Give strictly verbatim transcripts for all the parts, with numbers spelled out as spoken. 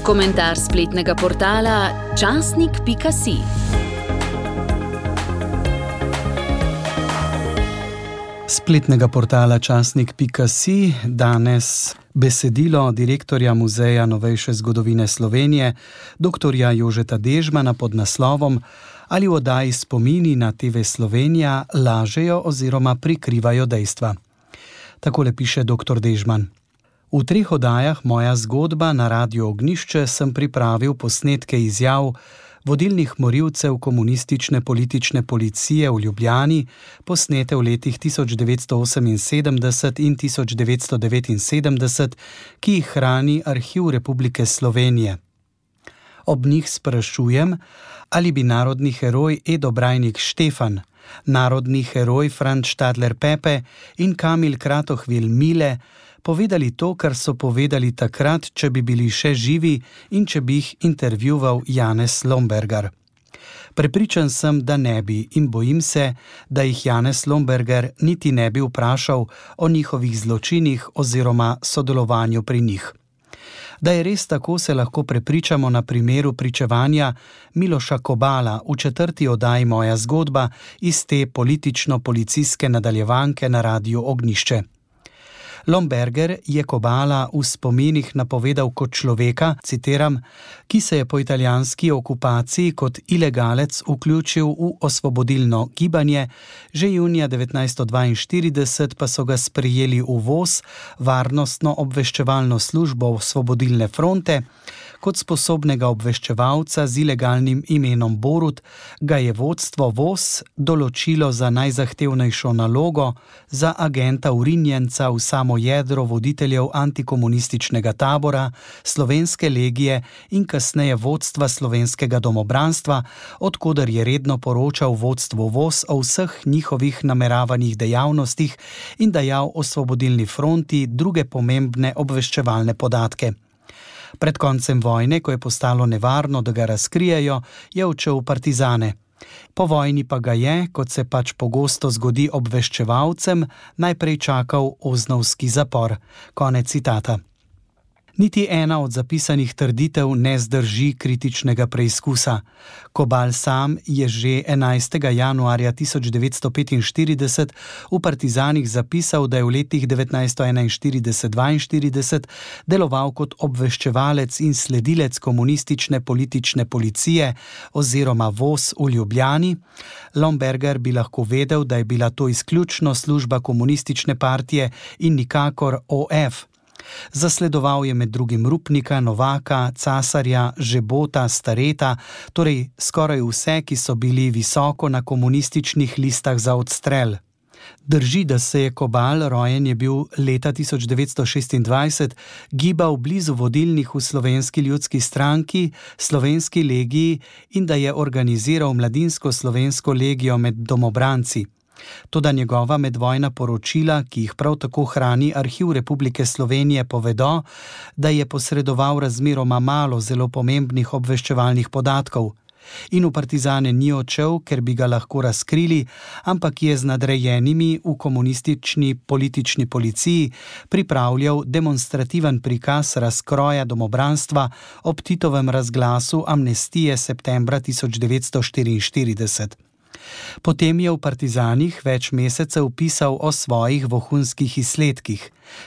Komentar spletnega portala časnik pika si. Spletnega portala časnik pika si danes besedilo direktorja Muzeja novejše zgodovine Slovenije, doktorja Jožeta Dežmana pod naslovom Ali v oddaji Spomini na te ve Slovenija lažejo oziroma prikrivajo dejstva. Takole piše doktor Dežman. V treh oddajah Moja zgodba na Radiu Ognjišče sem pripravil posnetke izjav vodilnih morilcev komunistične politične policije v Ljubljani, posnete v letih tisoč devetsto oseminsedemdeset in tisoč devetsto devetinsedemdeset, ki jih hrani Arhiv Republike Slovenije. Ob njih sprašujem, ali bi narodni heroj Edo Brajnik Štefan, narodni heroj Franc Štadler Pepe in Kamil Kratohvil Mile povedali to, kar so povedali takrat, če bi bili še živi in če bi jih intervjuval Janez Lombergar. Prepričan sem, da ne bi in bojim se, da jih Janez Lombergar niti ne bi vprašal o njihovih zločinih oziroma sodelovanju pri njih. Da je res tako, se lahko prepričamo na primeru pričevanja Miloša Kobala v četrti oddaji Moja zgodba iz te politično-policijske nadaljevanke na Radiu Ognjišče. Lombergar je Kobala v spominih napovedal kot človeka, citiram, ki se je po italijanski okupaciji kot ilegalec vključil v osvobodilno gibanje, že junija devetnajststo dvainštirideset pa so ga sprejeli v V O S, varnostno obveščevalno službo Osvobodilne fronte, kot sposobnega obveščevalca z ilegalnim imenom Borut, ga je vodstvo V O S določilo za najzahtevnejšo nalogo, za agenta vrinjenca v samo jedro voditeljev antikomunističnega tabora, Slovenske legije in kasneje vodstva Slovenskega domobranstva, od koder je redno poročal vodstvu V O S o vseh njihovih nameravanih dejavnostih in dajal Osvobodilni fronti druge pomembne obveščevalne podatke. Pred koncem vojne, ko je postalo nevarno, da ga razkrijejo, je odšel v partizane. Po vojni pa ga je, kot se pač pogosto zgodi obveščevalcem, najprej čakal oznovski zapor. Konec citata. Niti ena od zapisanih trditev ne zdrži kritičnega preizkusa. Kobal sam je že enajstega januarja tisoč devetsto petinštirideset v Partizanih zapisal, da je v letih devetnajststo enainštirideset do dvainštirideset deloval kot obveščevalec in sledilec komunistične politične policije oziroma V O S v Ljubljani. Lombergar bi lahko vedel, da je bila to izključno služba komunistične partije in nikakor O F. Zasledoval je med drugim Rupnika, Novaka, Casarja, Žebota, Stareta, torej skoraj vse, ki so bili visoko na komunističnih listah za odstrel. Drži, da se je Kobal, rojen je bil leta tisoč devetsto šestindvajset, gibal blizu vodilnih v Slovenski ljudski stranki, Slovenski legiji in da je organiziral mladinsko slovensko legijo med domobranci. Toda njegova medvojna poročila, ki jih prav tako hrani Arhiv Republike Slovenije, povedo, da je posredoval razmeroma malo zelo pomembnih obveščevalnih podatkov. In v partizane ni odšel, ker bi ga lahko razkrili, ampak je z nadrejenimi v komunistični politični policiji pripravljal demonstrativen prikaz razkroja domobranstva ob Titovem razglasu amnestije septembra tisoč devetsto štiriinštirideset. Potem je v Partizanih več mesecev pisal o svojih vohunskih izsledkih.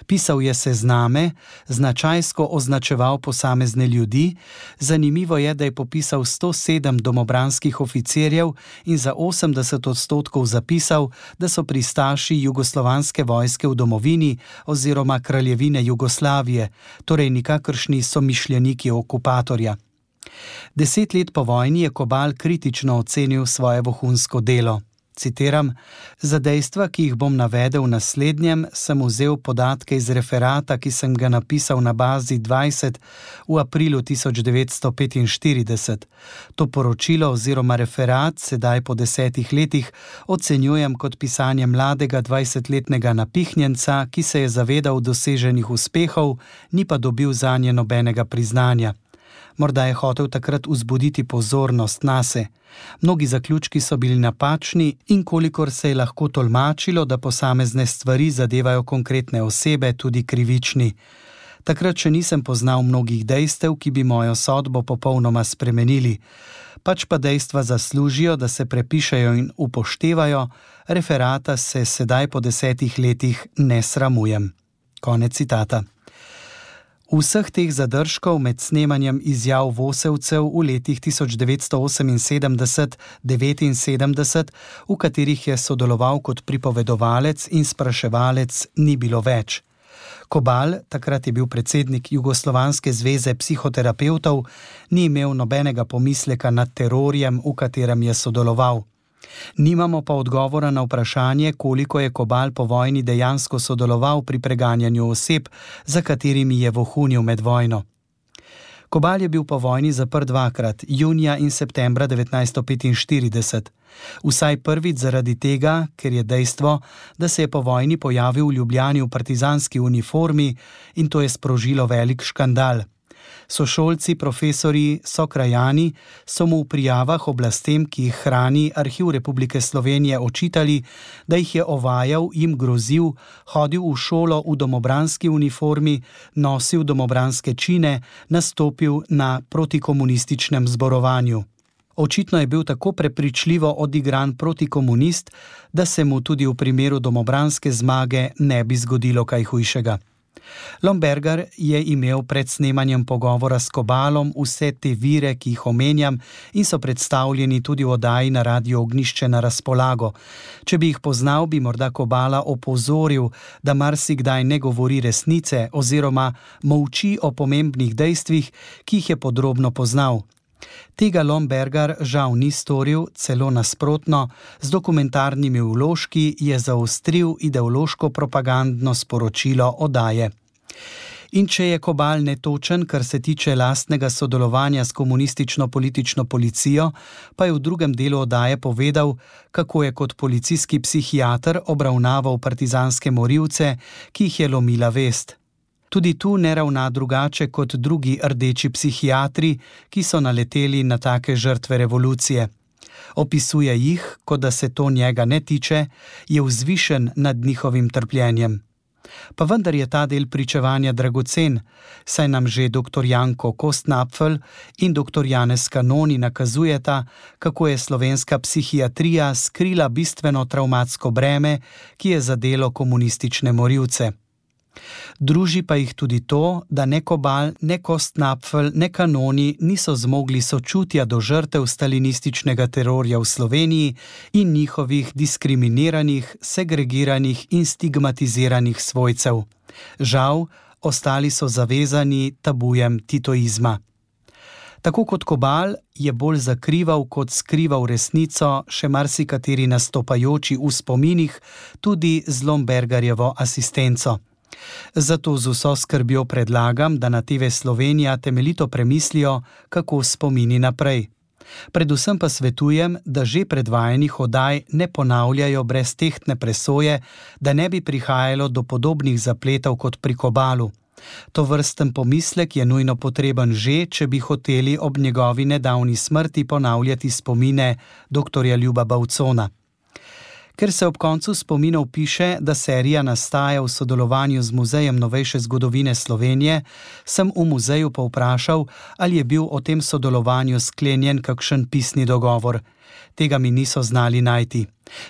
Pisal je sezname, značajsko označeval posamezne ljudi. Zanimivo je, da je popisal sto sedem domobranskih oficirjev in za osemdeset odstotkov zapisal, da so pristaši jugoslovanske vojske v domovini oziroma kraljevine Jugoslavije, torej nikakršni somišljeniki okupatorja. Deset let po vojni je Kobal kritično ocenil svoje vohunsko delo. Citiram, za dejstva, ki jih bom navedel v naslednjem, sem vzel podatke iz referata, ki sem ga napisal na bazi dvajset v aprilu tisoč devetsto petinštirideset. To poročilo oziroma referat sedaj po desetih letih ocenjujem kot pisanje mladega dvajsetletnega napihnjenca, ki se je zavedal doseženih uspehov, ni pa dobil zanje nobenega priznanja. Morda je hotel takrat vzbuditi pozornost nase. Mnogi zaključki so bili napačni in kolikor se je lahko tolmačilo, da posamezne stvari zadevajo konkretne osebe, tudi krivični. Takrat še nisem poznal mnogih dejstev, ki bi mojo sodbo popolnoma spremenili. Pač pa dejstva zaslužijo, da se prepišejo in upoštevajo, referata se sedaj po desetih letih ne sramujem. Konec citata. Vseh teh zadržkov med snemanjem izjav Vosevcev v letih tisoč devetsto oseminsedemdeset do devetinsedemdeset, v katerih je sodeloval kot pripovedovalec in spraševalec, ni bilo več. Kobal, takrat je bil predsednik Jugoslovanske zveze psihoterapevtov, ni imel nobenega pomisleka nad terorjem, v katerem je sodeloval. Nimamo pa odgovora na vprašanje, koliko je Kobal po vojni dejansko sodeloval pri preganjanju oseb, za katerimi je vohunil med vojno. Kobal je bil po vojni zaprt dvakrat, junija in septembra devetnajststo petinštirideset. Vsaj prvič zaradi tega, ker je dejstvo, da se je po vojni pojavil v Ljubljani v partizanski uniformi in to je sprožilo velik škandal. Sošolci, profesorji, sokrajani so mu v prijavah oblastem, ki jih hrani Arhiv Republike Slovenije, očitali, da jih je ovajal, jim grozil, hodil v šolo v domobranski uniformi, nosil domobranske čine, nastopil na protikomunističnem zborovanju. Očitno je bil tako prepričljivo odigran protikomunist, da se mu tudi v primeru domobranske zmage ne bi zgodilo kaj hujšega. Lombergar je imel pred snemanjem pogovora s Kobalom vse te vire, ki jih omenjam in so predstavljeni tudi v oddaji na Radiu Ognjišče na razpolago. Če bi jih poznal, bi morda Kobala opozoril, da marsikdaj ne govori resnice oziroma molči o pomembnih dejstvih, ki jih je podrobno poznal. Tega Lombergar žal ni storil, celo nasprotno, z dokumentarnimi vložki je zaostril ideološko propagandno sporočilo oddaje. In če je Kobal netočen, kar se tiče lastnega sodelovanja s komunistično politično policijo, pa je v drugem delu oddaje povedal, kako je kot policijski psihiater obravnaval partizanske morilce, ki jih je lomila vest. Tudi tu ne ravna drugače kot drugi rdeči psihiatri, ki so naleteli na take žrtve revolucije. Opisuje jih, kot da se to njega ne tiče, je vzvišen nad njihovim trpljenjem. Pa vendar je ta del pričevanja dragocen, saj nam že doktor Janko Kostnapfel in doktor Janez Kanoni nakazujeta, kako je slovenska psihiatrija skrila bistveno travmatsko breme, ki je zadelo komunistične morilce. Druži pa jih tudi to, da ne Kobal, ne Kostnapfel, ne Kanoni niso zmogli sočutja do žrtev stalinističnega terorja v Sloveniji in njihovih diskriminiranih, segregiranih in stigmatiziranih svojcev. Žal, ostali so zavezani tabujem titoizma. Tako kot Kobal je bolj zakrival kot skrival resnico še marsikateri nastopajoči v spominih, tudi z Lombergarjevo asistenco. Zato z vso skrbjo predlagam, da na T V Slovenija temeljito premislijo, kako spomini naprej. Predvsem pa svetujem, da že predvajanih oddaj ne ponavljajo brez tehtne presoje, da ne bi prihajalo do podobnih zapletov kot pri Kobalu. Tovrsten pomislek je nujno potreben že, če bi hoteli ob njegovi nedavni smrti ponavljati spomine doktorja Ljuba Bavcona. Ker se ob koncu spominov piše, da serija nastaja v sodelovanju z Muzejem novejše zgodovine Slovenije, sem v muzeju povprašal, ali je bil o tem sodelovanju sklenjen kakšen pisni dogovor. Tega mi niso znali najti.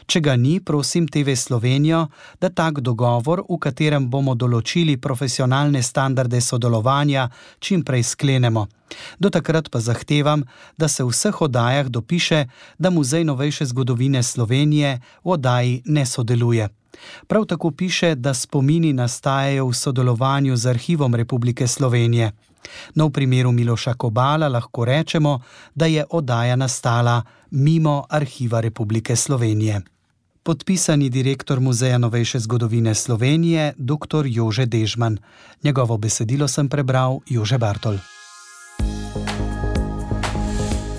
Če ga ni, prosim T V Slovenijo, da tak dogovor, v katerem bomo določili profesionalne standarde sodelovanja, čim prej sklenemo. Do takrat pa zahtevam, da se v vseh oddajah dopiše, da Muzej novejše zgodovine Slovenije v oddaji ne sodeluje. Prav tako piše, da spomini nastajajo v sodelovanju z Arhivom Republike Slovenije. No, v primeru Miloša Kobala lahko rečemo, da je oddaja nastala mimo Arhiva Republike Slovenije. Podpisani direktor Muzeja novejše zgodovine Slovenije, doktor Jože Dežman. Njegovo besedilo sem prebral Jože Bartol.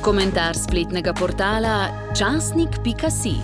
Komentar spletnega portala časnik pika si.